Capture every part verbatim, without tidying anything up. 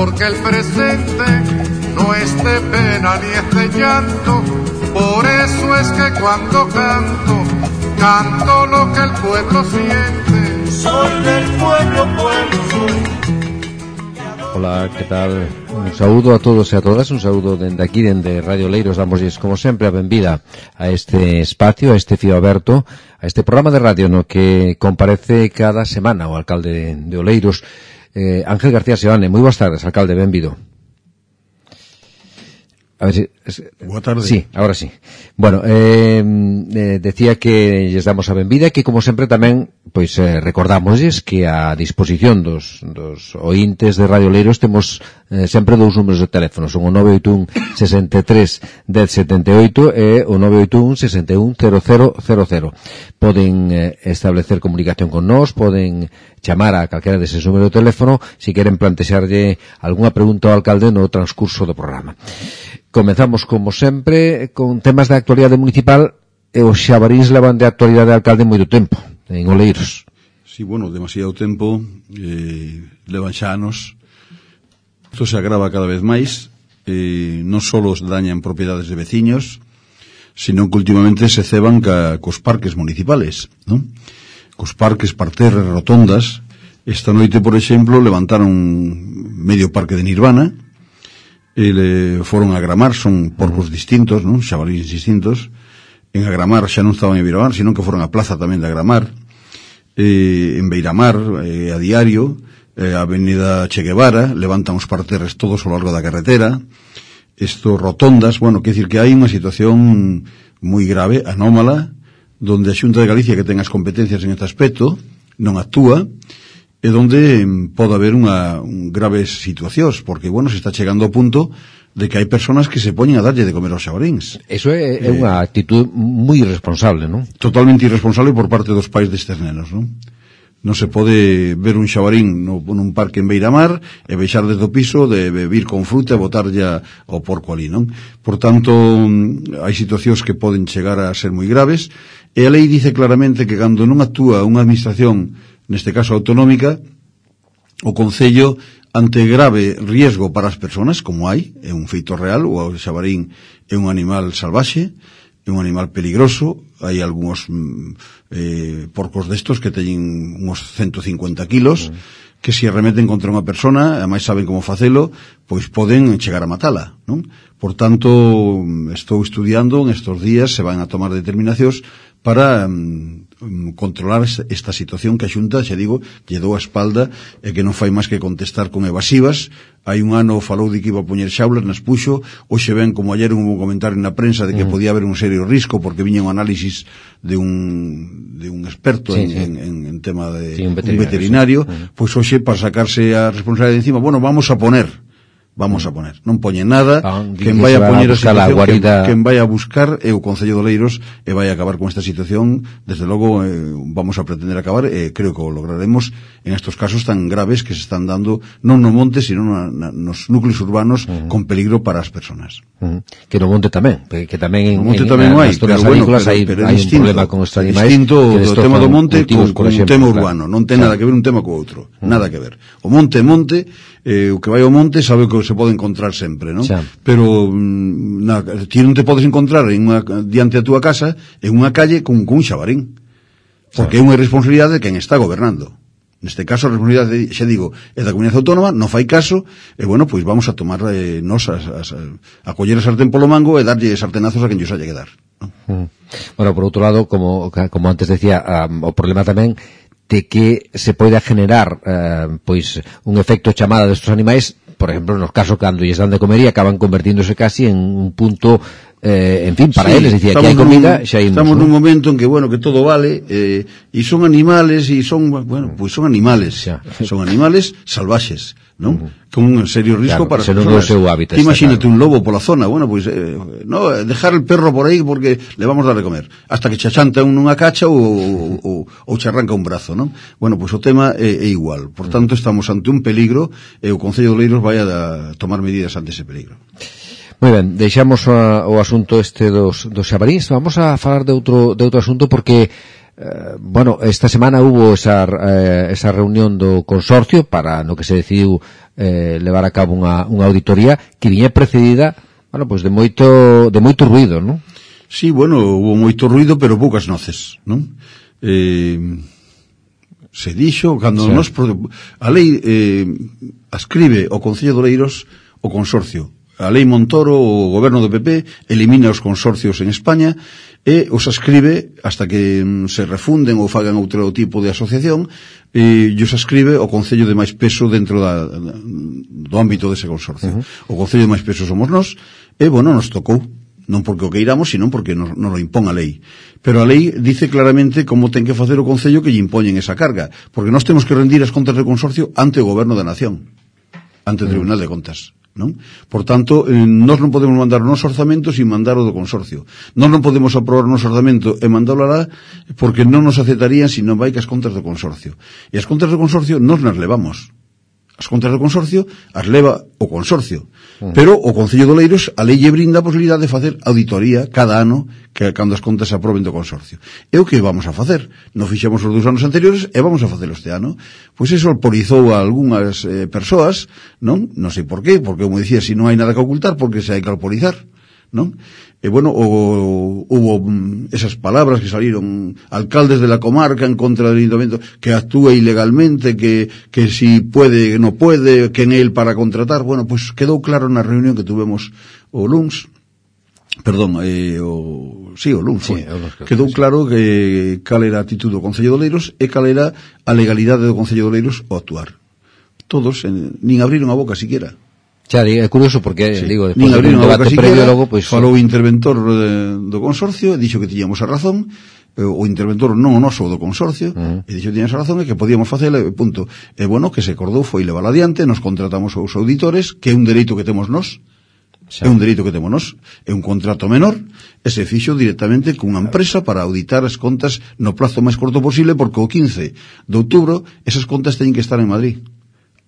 porque el presente no es de pena ni es de llanto. Por eso es que cuando canto, canto lo que el pueblo siente. Soy del pueblo, pueblo soy. Hola, que tal? Un saúdo a todos e a todas, un saúdo dende aquí, dende Radio Oleiros. Damosles, como sempre, a benvida a este espacio, a este fío aberto, a este programa de radio no que comparece cada semana o alcalde de Oleiros, eh, Ángel García Seoane. Moi boas tardes, alcalde, benvido. A ver si... Es, Boa tarde. Sí, ahora sí. Bueno, eh, eh, decía que lles damos a benvida e que, como sempre, tamén pois eh, recordamosles que a disposición dos, dos ointes de Radio Oleiros temos eh, sempre dous números de teléfono. Son o nove oito un, sesenta e tres, dez setenta e oito e o nove oito un, sesenta e un, cero cero cero cero. Poden eh, establecer comunicación con nós, poden chamar a calquera deses números de teléfono se queren plantexarlle algunha pregunta ao alcalde no transcurso do programa. Comezamos, como sempre, con temas de actualidade municipal e os xabarís levan de actualidade de alcalde moito tempo, en Oleiros. Sí, bueno, demasiado tempo, eh, levan xa anos. Isto se agrava cada vez máis, eh, non só dañan propiedades de veciños, sino que últimamente se ceban ca, cos parques municipales, non? Cos parques, parterres, rotondas. Esta noite, por exemplo, levantaron medio parque de Nirvana, e le foron a Agramar, son porcos distintos, non? Xabalíes distintos. En Agramar xa non estaban en Viramar, sino que foron a plaza tamén de Agramar. Eh, en Beiramar, eh, a diario, eh, a avenida Che Guevara, levantan os parterres todos ao largo da carretera. Estos rotondas, bueno, quer dicir que hai unha situación moi grave, anómala, donde a Xunta de Galicia, que ten as competencias en este aspecto, non actúa, e donde pode haber unha un graves situacións, porque, bueno, se está chegando ao punto de que hai personas que se poñen a darlle de comer aos xabaríns. Eso é, é eh, unha actitud moi irresponsable, non? Totalmente irresponsable por parte dos pais destes nenos, non? Non se pode ver un xabarín no, nun parque en Beiramar e baixar desde o piso, de vir con fruta e botarlle ao porco ali, non? Por tanto, hai situacións que poden chegar a ser moi graves, e a lei dice claramente que cando non actúa unha administración, neste caso autonómica, o Concello, ante grave riesgo para as persoas, como hai, é un feito real, o xabarín é un animal salvaxe, é un animal peligroso, hai algúns eh, porcos destos que teñen uns ciento cincuenta kilos, mm. que se arremeten contra unha persona, e máis saben como facelo, pois poden chegar a matala, non? Por tanto, estou estudiando, en estos días se van a tomar determinacións para um, controlar esta situación que a Xunta, xa digo, lle dou a espalda e que non fai máis que contestar con evasivas. Hai un ano falou de que iba a poñer xaulas, nas puxo, hoxe ven, como ayer un comentario na prensa de que mm. podía haber un serio risco porque viña un análisis de un de un experto sí, en, sí. En, en, en tema de sí, un veterinario, un veterinario sí. Pois hoxe, para sacarse a responsabilidade de encima, bueno, vamos a poner Vamos a poner, non poñen nada, ah, quen vai a poñer a situación, quen, quen vai a buscar é o Concello de Oleiros e vai a acabar con esta situación. Desde logo eh, vamos a pretender acabar e eh, creo que o lograremos en estos casos tan graves que se están dando non no monte, sino na, na, nos núcleos urbanos uh-huh. con peligro para as persoas. Uh-huh. Que no monte tamén, que tamén en, no monte en, tamén en hai, pero bueno, pero, hai, pero hai distinto, un problema con estos animais. Distinto do tema do monte con, con un tema urbano, claro. Non ten nada que ver un tema co outro, uh-huh. nada que ver. O monte é monte, eh, o que vai ao monte sabe o que se pode encontrar sempre, non? Xa. Pero na, ti non te podes encontrar en unha, diante da túa casa en unha calle con, con un xabarín, porque Xa. É unha irresponsabilidade de quen está gobernando. Neste caso a responsabilidade, xa digo, é da Comunidade Autónoma, non fai caso, e bueno, pois vamos a tomar eh, nos as, as, a coller a sartén polo mango e darlle sartenazos a quen llos haya que dar, non? Mm. Bueno, por outro lado, como, como antes decía, um, o problema tamén de que se poida generar uh, pois un efecto chamada destes animais, por exemplo, nos casos cando lles dan de comer e acaban convertíndose casi en un punto eh, en fin, para sí, eles, dicía que hai comida, xa imos, estamos ¿no? nun momento en que, bueno, que todo vale, eh, e son animales, e son, bueno, pois pues son animales, xa. Son animales salvaxes, non? Uh-huh. Con un serio risco claro, para as persoas. Hábitat, imagínate claro. Un lobo pola zona, bueno, pois, pues, eh, no, dejar el perro por aí porque le vamos a dar de comer, hasta que chachanta un nunha cacha ou, ou, ou charranca un brazo, non? Bueno, pois pues, o tema é, é igual, por tanto estamos ante un peligro e o Concello de Oleiros vai a tomar medidas ante ese peligro. Moi ben, deixamos a, o asunto este dos, dos xabaríns. Vamos a falar de outro, de outro asunto porque eh, bueno, esta semana hubo esa, eh, esa reunión do consorcio para no que se decidiu eh, levar a cabo unha, unha auditoría que viña precedida, bueno, pois de moito de moito ruido, non? Sí, bueno, hubo moito ruido, pero poucas noces, non? Eh, se dixo, cando sí. nos, a lei eh, ascribe o Concello de Oleiros o consorcio. A lei Montoro, o goberno do P P, elimina os consorcios en España e os ascribe, hasta que se refunden ou fagan outro tipo de asociación, e os ascribe o Concello de máis peso dentro da, do ámbito dese consorcio. Uh-huh. O Concello de máis peso somos nós, e, bueno, nos tocou. Non porque o queiramos, sino porque nos, nos lo impón a lei. Pero a lei dice claramente como ten que facer o Concello que lle impoñen esa carga, porque nós temos que rendir as contas do consorcio ante o Goberno da Nación, ante o Tribunal de Contas, non? Por tanto, eh, nós non podemos mandar o noso orzamento sin mandar o do consorcio. Nós non podemos aprobar o noso orzamento e mandalo alá porque non nos aceptarían se non vai que as contas do consorcio. E as contas do consorcio nos nas levamos. As contas do consorcio as leva o consorcio, mm. pero o Concello de Oleiros a lei lle brinda a posibilidade de facer auditoría cada ano que cando as contas se aproben do consorcio. E o que vamos a facer? Non fixemos os dous anos anteriores e vamos a facelo este ano. Pois eso alporizou a algunhas eh, persoas, non? Non sei por qué, porque como dicía, se non hai nada que ocultar, porque se hai que alporizar, non? E bueno, o, hubo esas palabras que salieron alcaldes de la comarca en contra del ayuntamiento que actúa ilegalmente, que, que si puede, no puede, que en él para contratar. Bueno, pues quedou claro na reunión que tuvemos o luns, perdón, eh, o, sí, o luns foi, sí, quedou claro que cal era a actitud do Concello de Oleiros e cal era a legalidade do Concello de Oleiros ao actuar. Todos, en, nin abriron a boca siquiera. Xa, é curioso porque, sí, digo, despois de un debate previo logo, pois... Falou o interventor de, do consorcio, e dixo que tiñamos a razón, o interventor non o noso do consorcio, uh-huh. e dixo que tiñamos a razón e que podíamos facela, punto. E bueno, que se acordou foi levar adiante, nos contratamos aos auditores, que é un dereito que temos nós, xa. é un dereito que temos nós, é un contrato menor, e se fixo directamente cunha empresa para auditar as contas no plazo máis corto posible, porque o quince de outubro esas contas teñen que estar en Madrid.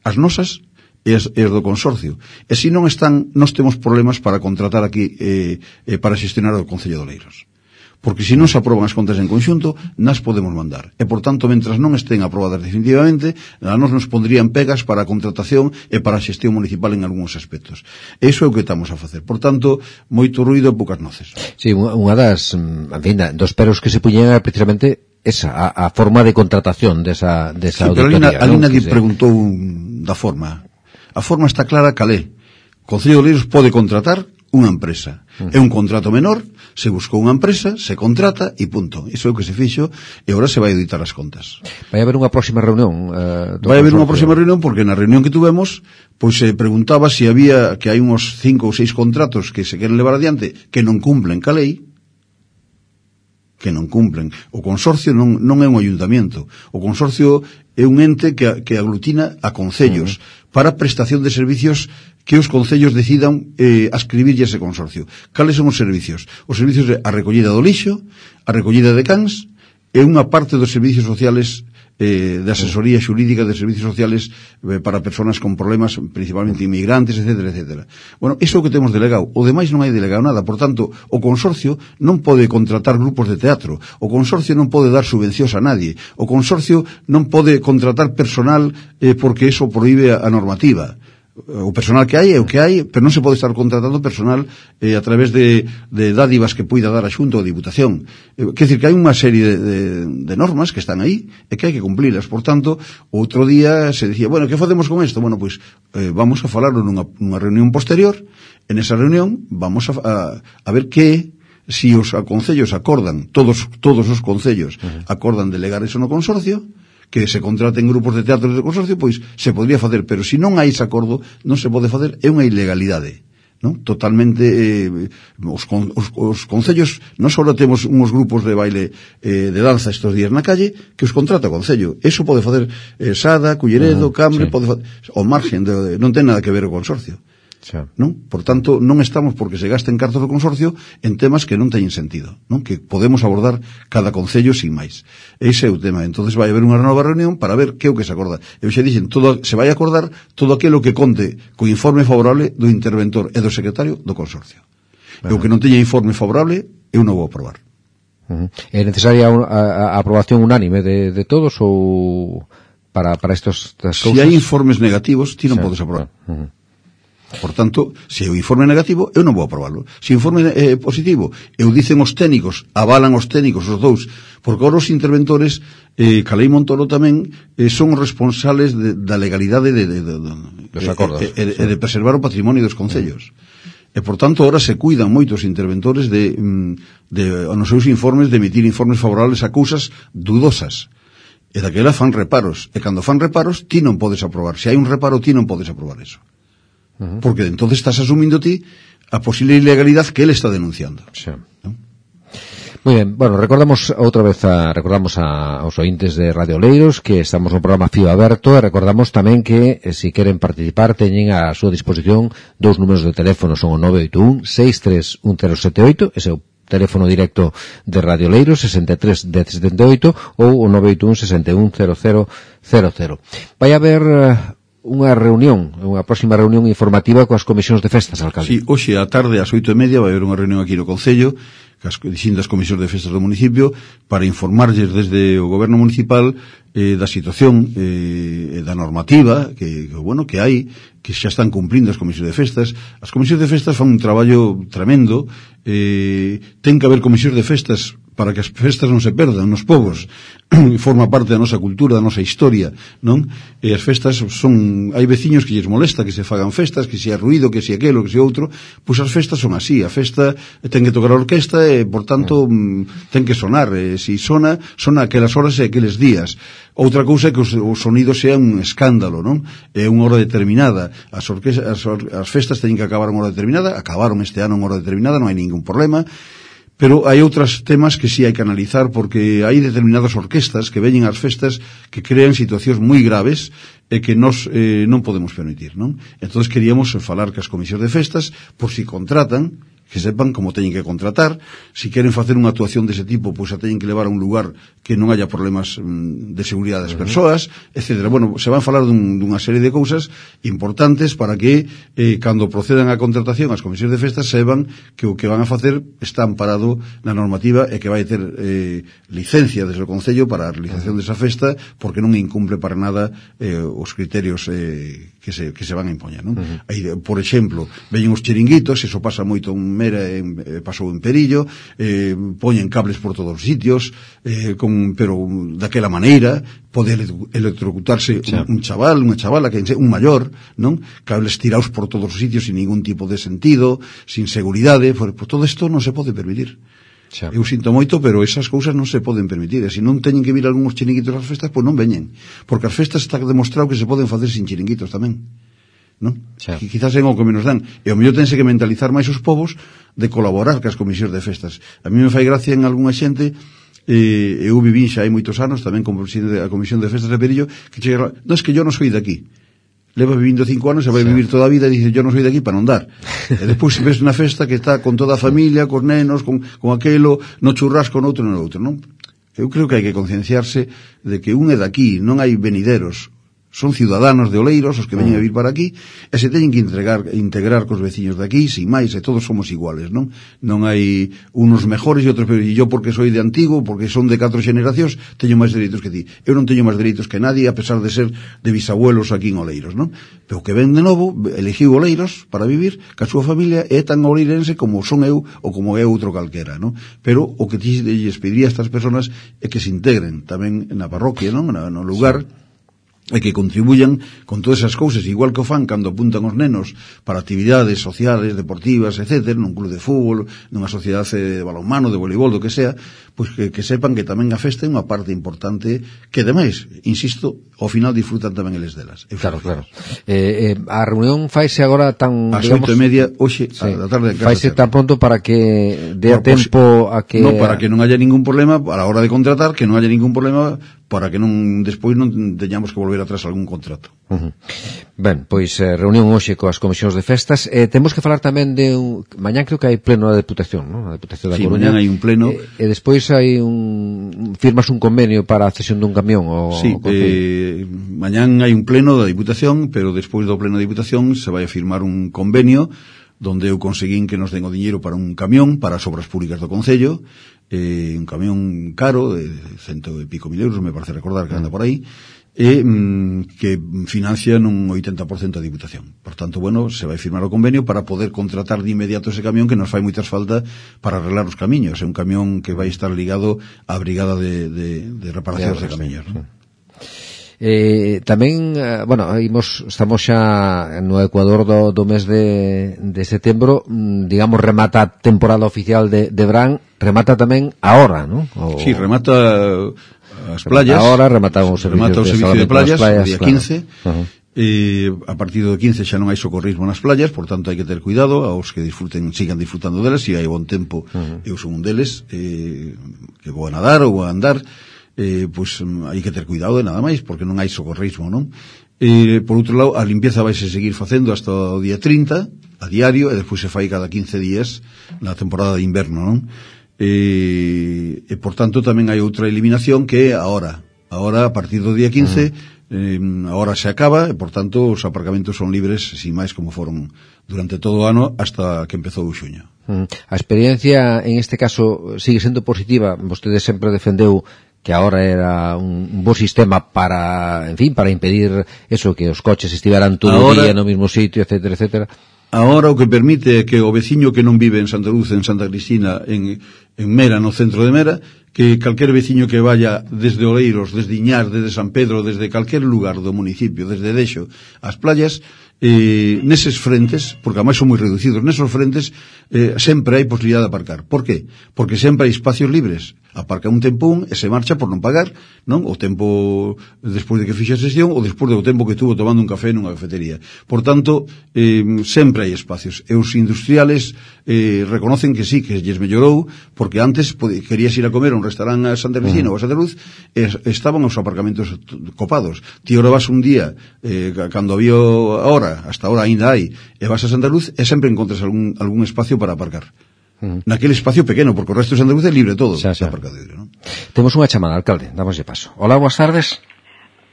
As nosas e as, e as do consorcio. E se non están, nós temos problemas para contratar aquí eh, eh, para xestionar o Concello de Oleiros. Porque se non se aproban as contas en conxunto, nas podemos mandar. E, por tanto, mentras non estén aprobadas definitivamente, a nos nos pondrían pegas para a contratación e para a xestión municipal en algúns aspectos. E iso é o que estamos a facer. Por tanto, moito ruido e poucas noces. Sí, unha das, en fin, dos peros que se puñen era precisamente esa, a, a forma de contratación desa, desa sí, auditoría. Pero ali nadie preguntou da forma. A forma está clara calé. O Concello de Oleiros pode contratar unha empresa. Uh-huh. É un contrato menor, se buscou unha empresa, se contrata e punto. Iso é o que se fixo e agora se vai auditar as contas. Vai haber unha próxima reunión? Uh, vai haber unha próxima reunión porque na reunión que tuvemos pois se preguntaba se había que hai uns cinco ou seis contratos que se queren levar adiante que non cumplen ca lei, que non cumplen. O consorcio non, non é un ayuntamiento. O consorcio é un ente que, que aglutina a concellos uh-huh. para prestación de servicios que os concellos decidan eh, ascribirlle ese consorcio. Cales son os servicios? Os servicios de a recollida do lixo, a recollida de cans e unha parte dos servicios sociales eh, de asesoría xurídica de servicios sociales eh, para persoas con problemas, principalmente inmigrantes, etcétera, etcétera. Bueno, iso é o que temos delegado. O demais non hai delegado nada. Por tanto, o consorcio non pode contratar grupos de teatro. O consorcio non pode dar subvencións a nadie. O consorcio non pode contratar personal eh, porque eso prohíbe a, a normativa. O personal que hai é o que hai, pero non se pode estar contratando personal eh, a través de, de dádivas que poida dar a Xunta ou a Diputación. Eh, quer dizer que hai unha serie de, de, de normas que están aí e que hai que cumplilas. Por tanto, outro día se dicía, bueno, que facemos con isto? Bueno, pois eh, vamos a falarlo nunha, nunha reunión posterior. En esa reunión vamos a, a, a ver que si os concellos acordan, todos todos os concellos uh-huh. acordan delegar eso no consorcio, que se contraten grupos de teatro de consorcio, pois se podría facer, pero se non hai ese acordo, non se pode facer, é unha ilegalidade, non? Totalmente eh, os, con, os, os concellos, non só temos uns grupos de baile eh, de danza estes días na calle, que os contrata o concello. Eso pode facer eh, Sada, Culleredo, uh-huh, Cambre, sí. pode facer, ao margen, de, de, non ten nada que ver o consorcio. Sí. Non? Por tanto, non estamos porque se gasten cartos do consorcio en temas que non teñen sentido, non? Que podemos abordar cada concello sin máis. Ese é o tema. Entonces vai haber unha nova reunión para ver que é o que se acorda. Eu xa dixen, todo, se vai acordar todo aquilo que conte co informe favorable do interventor e do secretario do consorcio. Uh-huh. E o que non teña informe favorable, eu non vou aprobar. Uh-huh. É necesaria a, a, a aprobación unánime de, de todos ou para, para estos, estas si cousas. hai informes negativos, ti non sí, podes aprobar. Uh -huh. Por tanto, se o informe é negativo, eu non vou aprobarlo. Se o informe é positivo, eu dicen os técnicos, avalan os técnicos, os dous, porque agora os interventores, eh, Calei Montoro tamén, eh, son os responsables de, da legalidade de, de, de, de, dos acordos, e, e, e de preservar o patrimonio dos concellos. Mm. E, por tanto, ahora se cuidan moitos interventores de, de, nos seus informes, de emitir informes favorables a cousas dudosas. E daquela fan reparos. E cando fan reparos, ti non podes aprobar. Se hai un reparo, ti non podes aprobar eso. Uh -huh. Porque entonces estás asumindo ti a posible ilegalidade que él está denunciando. Sí. ¿No? Muy bien, bueno, recordamos outra vez a, recordamos a, aos ointes de Radio Oleiros que estamos no programa Fío Aberto e recordamos tamén que eh, se queren participar teñen a súa disposición dous números de teléfono, son o nove oito un, seis tres un cero sete oito, ese é o teléfono directo de Radio Oleiros, sesenta e tres dez setenta e oito, ou o nove oito un, sesenta e un, cero cero cero cero. Vai haber uh, unha reunión, unha próxima reunión informativa coas comisións de festas, alcalde. Sí, hoxe á tarde, ás oito e media, vai haber unha reunión aquí no Concello, cas distintas comisións de festas do municipio, para informarlles desde o goberno municipal eh, da situación eh, da normativa que, que, bueno, que hai, que xa están cumprindo as comisións de festas. As comisións de festas fan un traballo tremendo, eh, ten que haber comisións de festas para que as festas non se perdan nos povos. Forma parte da nosa cultura, da nosa historia, non? E as festas son, hai veciños que lles molesta que se fagan festas, que se hai ruido, que se aquelo, que se outro, pois as festas son así, a festa ten que tocar a orquesta e, por tanto, mm. ten que sonar, e se sona, sona aquelas horas e aqueles días. Outra cousa é que o sonido sea un escándalo, non? É unha hora determinada, as, orquestas, as, as festas teñen que acabar unha hora determinada, acabaron este ano unha hora determinada, non hai ningún problema. Pero hai outros temas que sí hai que analizar, porque hai determinadas orquestas que veñen ás festas que crean situacións moi graves e que nos eh, non podemos permitir, non? Entón queríamos falar que as comisións de festas, por si contratan, que sepan como teñen que contratar, si queren facer unha actuación dese tipo, pois a teñen que levar a un lugar que non haya problemas mm, de seguridade das persoas, etcétera. Bueno, se van falar dun, dunha serie de cousas importantes para que eh, cando procedan a contratación as comisións de festas sepan que o que van a facer está amparado na normativa e que vai ter eh, licencia desde o Concello para a realización desa festa, porque non incumple para nada eh, os criterios eh, que se, que se van a impoñer, non? Uh-huh. Aí, por exemplo, veñen os chiringuitos, eso pasa moito en Mera, en, eh, pasou en Perillo, eh, poñen cables por todos os sitios, eh, con, pero daquela maneira, pode electrocutarse sí. un, un chaval, unha chavala, que un maior, non? Cables tirados por todos os sitios sin ningún tipo de sentido, sin seguridade, por, por todo isto non se pode permitir. Sí. Eu sinto moito, pero esas cousas non se poden permitir, e se non teñen que vir algúns chiringuitos ás festas, pois non veñen, porque as festas está demostrado que se poden facer sin chiringuitos tamén, non? Sí. Que quizás é o que menos dan, e o mellor tense que mentalizar máis os povos de colaborar cas comisións de festas. A mí me fai gracia en algunha xente, eh, eu viví xa hai moitos anos tamén como presidente da comisión de festas de Perillo, que chega, non, es que yo non soy de aquí. Leva vivindo cinco anos e vai sí. vivir toda a vida e dice, yo non soy de aquí para non dar. E despois se ves unha festa que está con toda a familia, cos nenos, con, con aquelo, no churrasco, no outro, no outro, non? Eu creo que hai que concienciarse de que un é de aquí, non hai venideros. Son ciudadanos de Oleiros os que veñen a vir para aquí e se teñen que integrar, integrar cos veciños de aquí, sin máis, e todos somos iguales, non? Non hai unos mejores e outros peores, e yo porque soy de antigo, porque son de catro generacións, teño máis dereitos que ti. Eu non teño máis dereitos que nadie, a pesar de ser de bisabuelos aquí en Oleiros, non? Pero que ven de novo, elegiu Oleiros para vivir, que a súa familia é tan oleirense como son eu ou como é outro calquera, non? Pero o que ti lles pediría a estas personas é que se integren tamén na parroquia, non? No lugar... Sí. E que contribuyan con todas esas cousas, igual que o fan cando apuntan os nenos para actividades sociales, deportivas, etcétera, nun club de fútbol, nunha sociedade de balonmano, de voleibol, do que sea, pois que, que sepan que tamén a festa é unha parte importante que, ademais, insisto, ao final disfrutan tamén eles delas. Claro, claro. Eh, eh, a reunión faise agora tan... As oito e media, hoxe, sí, a da tarde... Faise tan pronto para que dé a tempo a que... No, para que non haya ningún problema a la hora de contratar, que non haya ningún problema para que non despois non teñamos que volver atrás algún contrato. Uh -huh. Ben, pois eh, reunión hoxe coas comisións de festas. Eh, temos que falar tamén de un... Mañán creo que hai pleno da Deputación, non? A Deputación da sí, Coruña. Sí, mañán hai un pleno. E, e despois hai un... firmas un convenio para a cesión dun camión o... Sí, o eh, mañán hai un pleno da Diputación, pero despois do pleno da Diputación se vai a firmar un convenio donde eu conseguín que nos den o diñeiro para un camión para as obras públicas do Concello, eh, un camión caro de cento e pico mil euros, me parece recordar que anda por aí, e mm, que financia nun oitenta por cento a Diputación. Por tanto, bueno, se vai firmar o convenio para poder contratar de inmediato ese camión que nos fai moitas falta para arreglar os camiños. É un camión que vai estar ligado á brigada de, de, de reparacións de, de camiños, ¿no? Eh, tamén, eh, bueno, imos, estamos xa no Ecuador do, do mes de, de setembro, digamos, remata a temporada oficial de, de Bran, remata tamén ahora, ¿no? O... Sí, remata as playas. Ahora remata o servicio, remata o servicio de, de playas, playas o día claro. quince. Uh-huh. Eh, a partir do quince xa non hai socorrismo nas playas, por tanto hai que ter cuidado aos que disfruten, sigan disfrutando delas. Se hai bon tempo, uh-huh. eu son un deles eh, que vou a nadar ou a andar, eh, pois hai que ter cuidado de nada máis, porque non hai socorrismo, non? Eh, por outro lado, a limpieza vai se seguir facendo hasta o día trinta a diario, e despois se fai cada quince días na temporada de inverno, non? E, e por tanto tamén hai outra eliminación que é a hora. A hora, a partir do día quince, eh, a hora se acaba e por tanto os aparcamentos son libres sin máis como foron durante todo o ano hasta que empezou o xuño. A experiencia en este caso sigue sendo positiva. Vostede sempre defendeu que ahora era un bo sistema para, en fin, para impedir eso, que os coches estiveran todo o día no mismo sitio, etcétera, etcétera. Ahora o que permite é que o veciño que non vive en Santa Luz, en Santa Cristina, en, en Mera, no centro de Mera, que calquer veciño que vaya desde Oleiros, desde Iñar, desde San Pedro, desde calquer lugar do municipio, desde Dexo, ás playas, eh, neses frentes, porque ademais son moi reducidos, nesos frentes eh, sempre hai posibilidade de aparcar. Por qué? Porque sempre hai espacios libres. Aparca un tempo un e se marcha por non pagar, non? O tempo despois de que fixe a sesión ou despois do tempo que estuvo tomando un café nunha cafetería. Por tanto, eh, sempre hai espacios. E os industriales eh, reconocen que sí, que lles mellorou, porque antes pode, querías ir a comer a un restaurante a Santa Cristina uh-huh. ou a Santa Luz, e estaban os aparcamentos copados. Ti ahora vas un día, eh, cando había ahora, hasta ahora ainda hai, e vas a Santa Luz e sempre encontras algún, algún espacio para aparcar. Uh-huh. Naquele espacio pequeno, porque o resto de Santa Luz é libre todo, xa, xa. Aparcadero, ¿no? Temos unha chamada, alcalde, damoslle paso. Hola, boas tardes.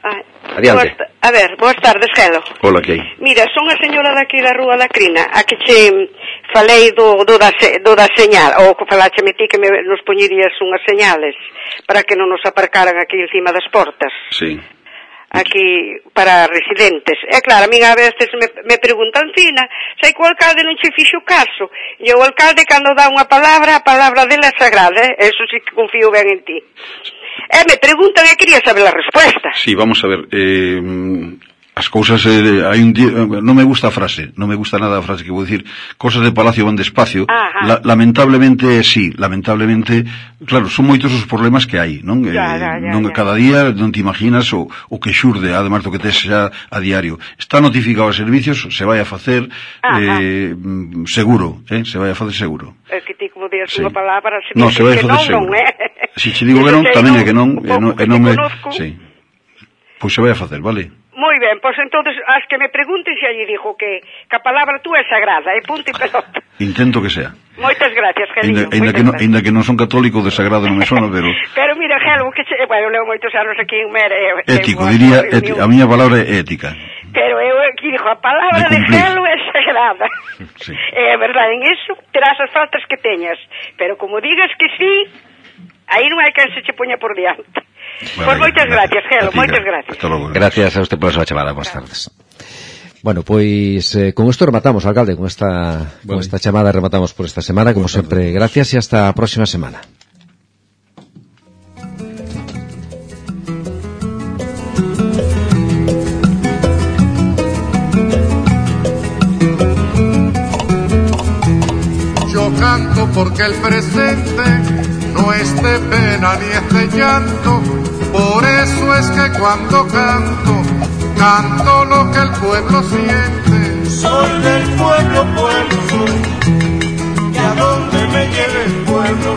Ah, Adiante. Boas, a ver, boas tardes, Gelo. Hola, que hai? Mira, son a señora daqui da Rúa da Crina, a que che falei do, do, da, do da señal, ou que falache me ti que me, nos poñerías unhas señales para que non nos aparcaran aquí encima das portas. Sí. Aquí para residentes. É claro, a min a veces me, me preguntan, Fina, sei que o alcalde non che fixo caso. E o alcalde, cando dá unha palabra, a palabra dele é sagrada, eh? Eso sí que confío ben en ti. E me preguntan e quería saber a resposta. Sí, vamos a ver. Eh, as cousas, eh, hai un día, non me gusta a frase, non me gusta nada a frase que vou dicir, cosas de palacio van despacio. La, lamentablemente, sí, lamentablemente, claro, son moitos os problemas que hai, non? Ya, eh, ya, ya, non ya. Cada día non te imaginas o, o que xurde, además do que tes xa a diario. Está notificado a servicios, se vai a facer eh, seguro, eh, se vai a facer seguro. É que ti como días sí. unha palabra, se no, se vai a facer non, seguro. Non, eh? Si che digo que non, tamén é que non, e non, e non me... Conozco. Sí. Pois se vai a facer, vale? Moi ben, pois entonces as que me pregunten se allí dijo que, que a palabra tú é sagrada, e punto e pelota. Intento que sea. Moitas gracias, Gelino. Ainda que, no, ainda que non son católico, de sagrado non me sona, pero... Pero mira, Gelo, que che... Bueno, leo moitos anos aquí en Mera... Ético, diría, ética, a miña palabra é ética. Pero eu aquí digo, a palabra de, de Gelo é sagrada. Sí. É verdade, en iso terás as faltas que teñas. Pero como digas que sí, aí non hai quen se che poña por diante. Bueno, pois moitas gracias, Gelo, moitas gracias. Logo, gracias a usted por a súa chamada, boas tardes. Bueno, pois eh, con isto rematamos, alcalde, con esta, vale. con esta chamada rematamos por esta semana, como boas sempre, tardes. Gracias e hasta a próxima semana. Yo canto porque el presente no es de pena ni es de llanto, por eso es que cuando canto, canto lo que el pueblo siente. Soy del pueblo, pueblo soy, y a donde me lleve el pueblo